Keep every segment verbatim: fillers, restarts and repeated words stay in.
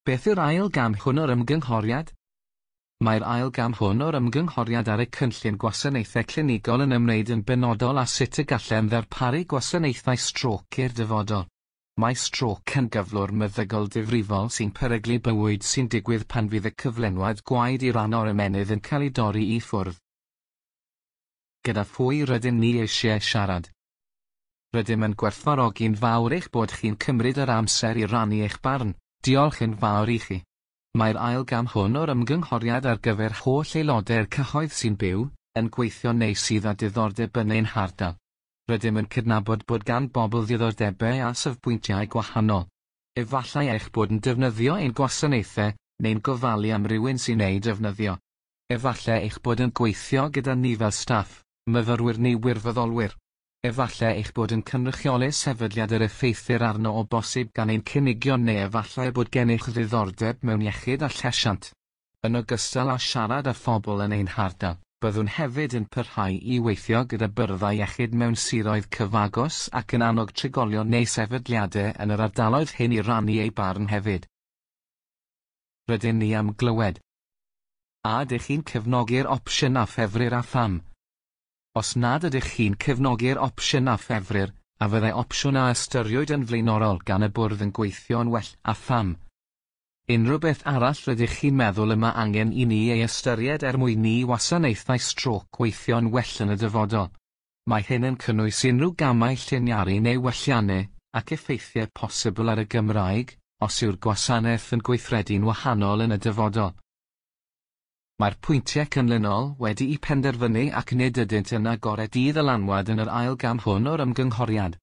Beth yw'r ail gam hwn o'r ymgynghoriad? Mae'r ail gam hwn o'r ymgynghoriad ar y cynllun gwasanaethau clinigol yn ymwneud yn benodol â sut y gallem ddarparu gwasanaethau strôc i'r dyfodol. Mae strôc yn gyflwr meddygol difrifol sy'n peryglu bywyd sy'n digwydd pan fydd y cyflenwad gwaed i ran o'r ymennydd yn cael ei dorri i ffwrdd. Gyda phwy rydym ni eisiau siarad? Rydym yn gwerthfawrogi'n fawr eich bod chi'n cymryd yr amser i rannu eich barn. Diolch yn fawr i chi. Mae'r ail gam hwn o'r ymgynghoriad ar gyfer holl aelodau'r cyhoedd sy'n byw, yn gweithio neu sydd â diddordeb yn ein hardal. Rydym yn cydnabod bod gan bobl ddiddordebau a safbwyntiau gwahanol. Efallai eich bod yn defnyddio ein gwasanaethau, neu'n gofalu am rywun sy'n eu defnyddio. Efallai eich bod yn gweithio gyda ni fel staff, myfyrwyr neu wirfoddolwyr. Efallai eich bod yn cynrychioli sefydliad yr effeithir arno o bosib gan ein cynigion neu efallai bod gennych ddiddordeb mewn iechyd a llesiant. Yn ogystal â siarad â phobl yn ein hardal, byddwn hefyd yn parhau i weithio gyda byrddau iechyd mewn siroedd cyfagos ac yn annog trigolion neu sefydliadau yn yr ardaloedd hyn i rannu eu barn hefyd. Rydyn ni am glywed. A ydych chi'n cefnogi'r opsiwn a ffefrir a pham? Os nad ydych chi'n cefnogi'r opsiwn a ffefrir, a fyddai opsiwn a ystyriwyd yn flaenorol gan y bwrdd yn gweithio'n well a pham? Unrhyw beth arall rydych chi'n meddwl y mae angen i ni ei ystyried er mwyn i wasanaethau strôc weithio'n well yn y dyfodol. Mae hyn yn cynnwys unrhyw gamau lliniaru neu welliannau, ac effeithiau posibl ar y Gymraeg, os yw'r gwasanaeth yn gweithredu'n wahanol yn y dyfodol. Mae'r pwyntiau canlynol wedi'u penderfynu ac nid ydynt yn agored i ddylanwad yn yr ail gam hwn o'r ymgynghoriad.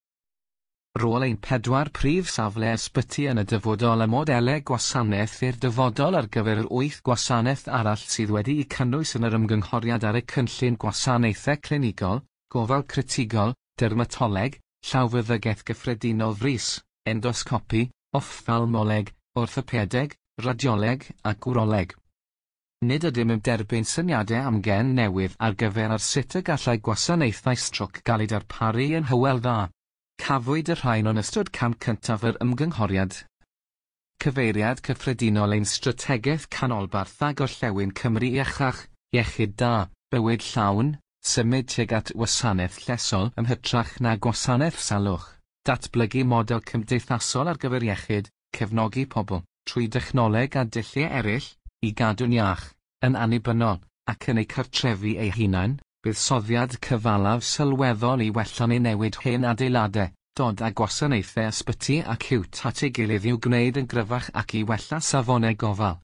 Rôl ein pedwar prif safle ysbyty yn y dyfodol a modelau gwasanaeth i'r dyfodol ar gyfer yr wyth gwasanaeth arall sydd wedi'u cynnwys yn yr ymgynghoriad ar y cynllun gwasanaethau clinigol, gofal critigol, dermatoleg, llawfeddygaeth gyffredinol frys, endoscopi, offthalmoleg, orthopedeg, radioleg ac wroleg. Nid ydym yn derbyn syniadau amgen newydd ar gyfer ar sut y gallai gwasanaethau strôc gael eu darparu yn Hywel Dda. Cafwyd y rhain yn ystod cam cyntaf yr ymgynghoriad. Cyfeiriad cyffredinol ein strategaeth canolbarth a gorllewin Cymru iachach, iechyd da, bywyd llawn, symud tuag at wasanaeth llesol yn hytrach na gwasanaeth salwch, datblygu model cymdeithasol ar gyfer iechyd, cefnogi pobl, trwy dechnoleg a dulliau eraill, i gadw'n iach, yn annibynnol, ac yn eu cartrefi eu hunain, buddsoddiad cyfalaf sylweddol i wella neu newid hen adeiladau, dod â gwasanaethau ysbyty acíwt at ei gilydd i'w gwneud yn gryfach ac i wella safonau gofal.